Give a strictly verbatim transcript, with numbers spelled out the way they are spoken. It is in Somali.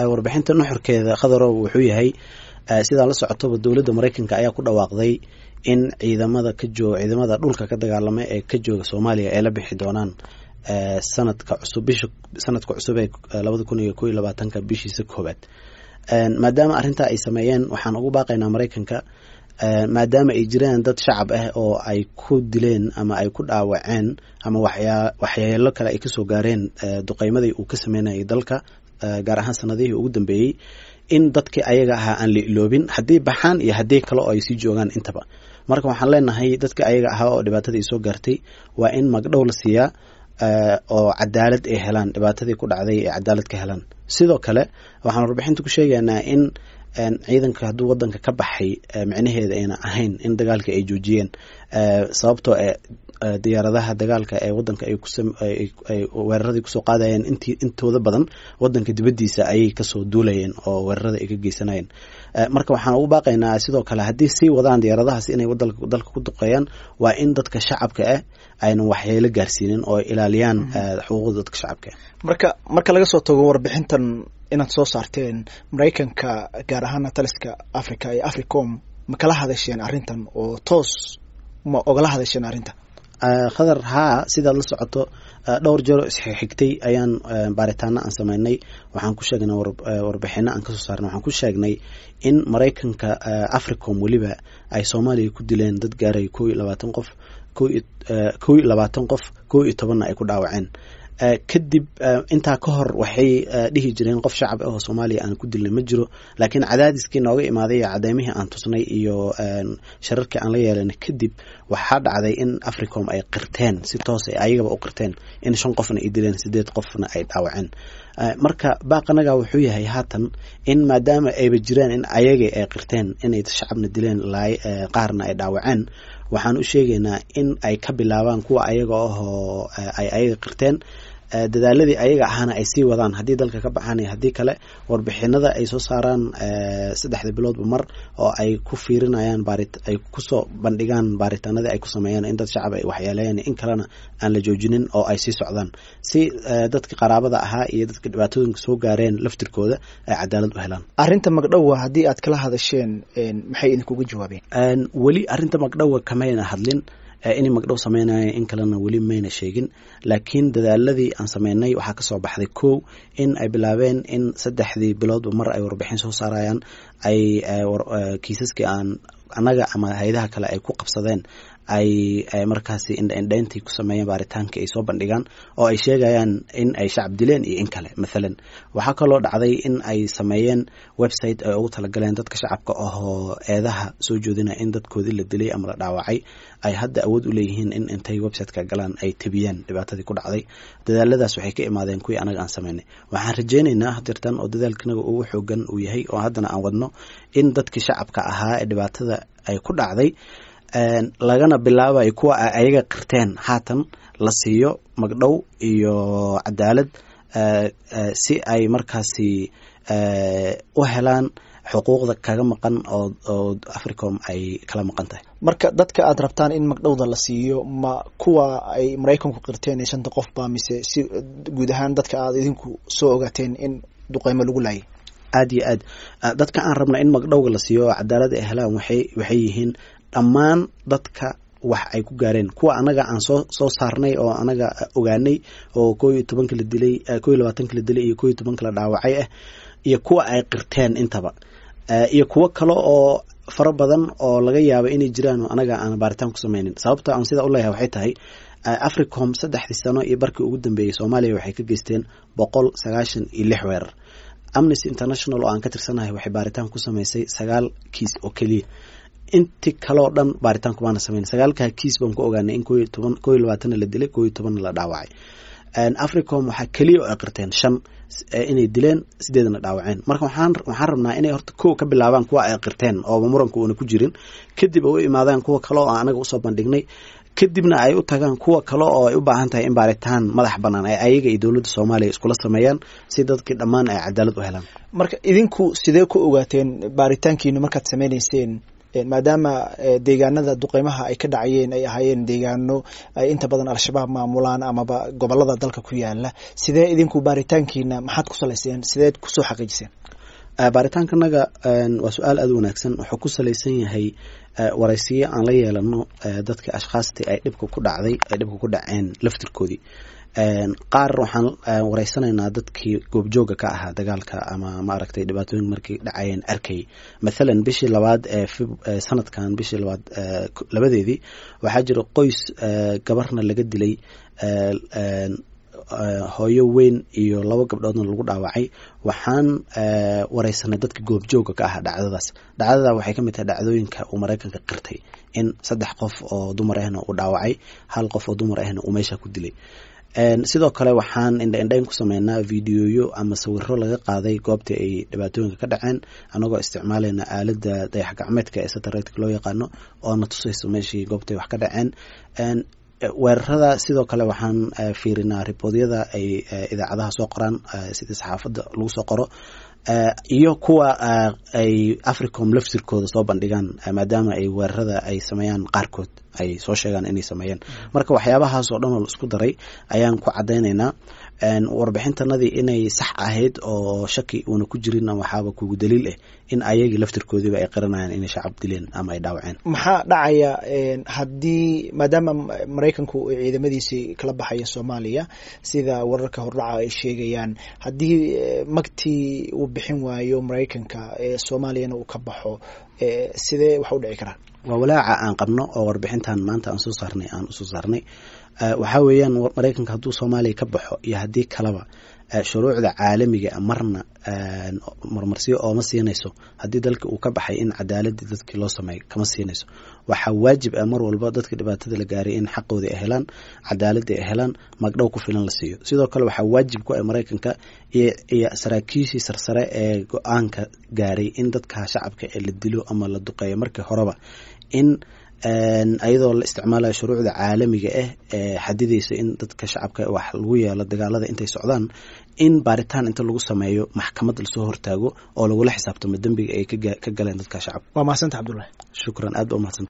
Warbixinta nuxurkeeda, Khadarow, wuxuu yahay, sidaa la socotoba, dowladda Maraykanka ayaa ku dhawaaqday in ciidamada ka jooga, ciidamada dhulka ka dagaalama ee ka jooga Soomaaliya, ay la bixi doonaan sanadka cusub, bisha sanadka cusub ee labada kun iyo kow iyo labaatanka bishiisa koowaad. Maadaama arrintaa ay sameeyeen, waxaan ugu baaqaynaa Maraykanka, maadaama ay jiraan dad shacab ah oo ay ku dileen ama ay ku dhaawaceen ama waxyaa waxyeelo kale ay kasoo gaareen duqeymadii uu ka sameynayay dalka, gaar ahaan sanadihii ugu dambeeyey, in dadkii ayaga ahaa aan la iloobin haddii baxaan iyo haddii kale oo ay sii joogaan intaba. Marka waxaan leenahay, dadka ayaga ahaa oo dhibaatadii soo gaartay waa in magdhow la siiyaa oo cadaalad ay helaan, dhibaatadii ku dhacday ay cadaalad ka helaan. Sidoo kale waxaan warbixinta ku sheegaynaa in ciidanka hadduu wadanka ka baxay micnaheeda ayna ahayn in dagaalka ay joojiyeen, sababtoo e diyaaradaha dagaalka ee wadanka ay kuay weeraradii kusoo qaadayeen intii intooda badan wadanka dibaddiisa ayay kasoo duulayeen oo weerarada ay ka geysanayeen. Marka waxaan ugu baaqaynaa sidoo kale, haddii sii wadaan diyaaradahaas inay dalka ku duqeeyaan, waa in dadka shacabka ah aynan waxyeelo gaarsiinin oo ilaaliyaan xuquuqda dadka shacabka ah. Marka marka laga soo tago warbixintan inaad soo saarteen, Maraykanka, gaar ahaana taliska Africa ee Africom, ma kala hadasheen arrintan oo toos ma ogala hadasheen arrinta? Khadar, haa, sidaad la socoto, dhowr jeero isxigtay ayaan baaritaano aan sameynay. Waxaan ku sheegnay warbixino aan kasoo saarnay, waxaan ku sheegnay in Maraykanka, Africom weliba, ay Soomaaliya ku dileen dad gaaraya kow iyo labaatan qof, kow iyo labaatan qof, kow iyo tobanna ay ku dhaawaceen. Kadib intaa ka hor waxay dhihi jireen qof shacab ah oo Soomaaliya aan ku dilnay ma jiro, laakiin cadaadiskii nooga imaaday iyo cadeymihii aan tusnay iyo shararkii aan la yeelanay kadib, waxaa dhacday in Africom ay qirteen, si toos ay ayagaba u qirteen, in shan qofna ay dileen, sideed qofna ay dhaawaceen. Marka baaqanaga wuxuu yahay haatan in maadaama ayba jiraan in ayagii ay qirteen inay shacabna dileen, qaarna ay dhaawaceen, waxaan u sheegaynaa in ay ka bilaabaan kuwa ayaga ahoo ay ayaga qirteen, dadaaladii ayaga ahaana ay sii wadaan haddii dalka ka baxaan iyo haddii kale, warbixinada ay soo saaraan saddexda biloodba mar oo ay ku fiirinayaan baari, ay kusoo bandhigaan baaritaanadii ay ku sameeyaan in dad shacab ay waxyeeleeyeen in kalena, aan la joojinin oo ay sii socdaan, si dadka qaraabada ahaa iyo dadka dhibaatooyinka soo gaareen laftirkooda ay cadaalad u helaan. Arrinta magdhowa haddii aad kala hadasheen, maxay idinkuga jawaabeen? Weli arrinta magdhowa kamayna hadlin, inay magdhow sameynaya in kalena weli mayna sheegin, laakiin dadaaladii aan sameynay waxaa kasoo baxday kow in ay bilaabeen in saddexdii biloodba mar ay warbixin soo saarayaan, ay kiisaskii aan annaga ama hay-adaha kale ay ku qabsadeen ay markaasi indhaindhayntii ku sameeyeen, baaritaankii ay soo bandhigaan oo ay sheegayaan in ay shacab dileen iyo in kale. Mathalan, waxaa kaloo dhacday in ay sameeyeen website ay ugu talagaleen dadka shacabka ahoo eedaha soo joodinaya in dadkoodii la dilay ama la dhaawacay ay hadda awood u leeyihiin in intay websiteka galaan ay tebiyaan dhibaatadii ku dhacday. Dadaaladaas waxay ka imaadeen kuwii anaga aan sameynay. Waxaan rajeynaynaa hadirtan oo dadaalkanaga ugu xoogan uu yahay oo haddana aan wadno in dadkii shacabka ahaa ee dhibaatada ay ku dhacday, lagana bilaabayo kuwa ay ayaga qirteen haatan, la siiyo magdhow iyo cadaalad, si ay markaasi u helaan xuquuqda kaga maqan oo oo Africom ay kala maqan tahay. Marka dadka aad rabtaan in magdhowda la siiyo, ma kuwa ay Maraykanku qirteen ee shanta qof ba, mise si guud ahaan dadka aad idinku soo ogaateen in duqeymo lagu laayay? Aad iyo aad, dadka aan rabna in magdhowga la siiyo oo cadaalad ay helaan waxay waxay yihiin dhammaan dadka wax ay ku gaareen, kuwa anaga aan soo soo saarnay oo anaga ogaanay oo koo iyo tobanka la dilay, koo iyo labaatanka la dilay iyo koo iyo tobanka la dhaawacay ah, iyo kuwa ay qirteen intaba, iyo kuwo kale oo fara badan oo laga yaabo inay jiraan oo anaga aan baaritaan ku sameynin. Sababta aan sidaa u leeyahay waxay tahay, Africom saddexdii sano iyo barkii ugu dambeeyey Soomaaliya waxay ka geysteen boqol sagaashan iyo lix weerar. Amnesty International oo aan ka tirsanahay waxay baaritaan ku sameysay sagaal kiis oo keliya, inti kaleo dhan baaritaan kumaana sameyn. Sagaalkaa kiis baan ku ogaanay in koo iyo toban, koo iyo labaatanna la dilay, koo iyo tobanna la dhaawacay. Africom waxaa keliya oo ay qirteen shan inay dileen, sideedna dhaawaceen. Marka waxaan waxaan rabnaa inay horta kow ka bilaabaan kuwa ay qirteen ooba muranku uuna ku jirin, kadib ay u imaadaan kuwa kale oo aan anaga usoo bandhignay, kadibna ay u tagaan kuwa kale oo ay u baahan tahay in baaritaan madax banaan ay ayaga iyo dowladda Soomaaliya iskula sameeyaan, si dadkii dhammaan ay cadaalad u helaan. Marka idinku sidee ku ogaateen baaritaankiinu markaad sameyneyseen Maadaama deegaanada duqeymaha ay ka dhacayeen ay ahaayeen deegaano ay inta badan Al-Shabaab maamulaan amaba gobolada dalka ku yaala, sidee idinku baaritaankiina maxaad ku salayseen, sideed kusoo xaqiijiseen? Baaritaankanaga waa su-aal aada u wanaagsan. Wuxuu ku salaysan yahay waraysiyo aan la yeelano dadka ashkhaastii ay dhibka ku dhacday, ay dhibka ku dhaceen laftirkoodii. Qaar waxaan wareysanaynaa dadkii goobjooga ka ahaa dagaalka ama maaragtay dhibaatooyinka markii dhacayeen arkayay. Mathalan bishii labaad ee sanadkan, bishii labaad labadeedii, waxaa jira qoys gabarna laga dilay, hooyo weyn iyo laba gabdhoodna lagu dhaawacay. Waxaan wareysanay dadka goobjooga ka ahaa dhacdadaas. Dhacdada waxay ka mid tahay dhacdooyinka uu Maraykanka qirtay in saddex qof oo dumar ahna uu dhaawacay, hal qof oo dumar ahna uu meesha ku dilay. Sidoo kale waxaan indha indhayn ku sameynaa videoyo ama sawiro laga qaaday goobtii ay dhibaatooyinka ka dhaceen, anagoo isticmaalayna aalada dayax gacmeedka ee satellite loo yaqaano oo na tusayso meeshii goobtay wax ka dhaceen weerarada. Sidoo kale waxaan fiirinaa riboodyada ay idaacadaha soo qoraan, sidii saxaafadda lagu soo qoro, iyo kuwa ay Africom laftirkooda soo bandhigaan, maadaama ay weerarada ay sameeyaan qaarkood ay soo sheegaan inay sameeyeen. Marka waxyaabahaas oo dhan oo la isku daray ayaan ku caddaynaynaa warbixintanadii inay sax ahayd oo shaki uuna ku jirin. Waxaaba kugu daliil ah in ayagii laftirkoodiiba ay qiranayaan inay shacab dileen ama ay dhaawaceen. Maxaa dhacaya haddii, maadaama Maraykanku uu ciidamadiisii kala baxayo Soomaaliya sida wararka hordhaca ay sheegayaan, haddii magtii uu bixin waayo Maraykanka Soomaaliyana uu ka baxo, sidee wax u dhici karaa? Waa walaaca aan qabno oo warbixintan maanta aan soo saarnay aan usoo saarnay. Waxaa weeyaan, Maraykanka hadduu Soomaaliya ka baxo iyo haddii kaleba, shuruucda caalamiga marna marmarsiyo ooma siinayso haddii dalka uu ka baxay in cadaaladii dadkii loo sameeyo kama siinayso. Waxaa waajib ah mar walba dadka dhibaatada la gaaray in xaqoodii ay helaan, cadaaladii ay helaan, magdhow ku filan la siiyo. Sidoo kale waxaa waajib ku ah Maraykanka iyo saraakiishii sarsare ee go-aanka gaaray in dadka shacabka ee la dilo ama la duqeeyo markii horeba in ayadoo la isticmaalayo shuruucda caalamiga ah ee xadidaysa in dadka shacabka wax lagu yeelo dagaalada intay socdaan, in baaritaan inta lagu sameeyo maxkamad lasoo hortaago oo lagula xisaabtamo dembiga ay ka galeen dadka shacabka. Waa mahadsanta, Cabdullahi. Shukran, aad ba umahadsanta.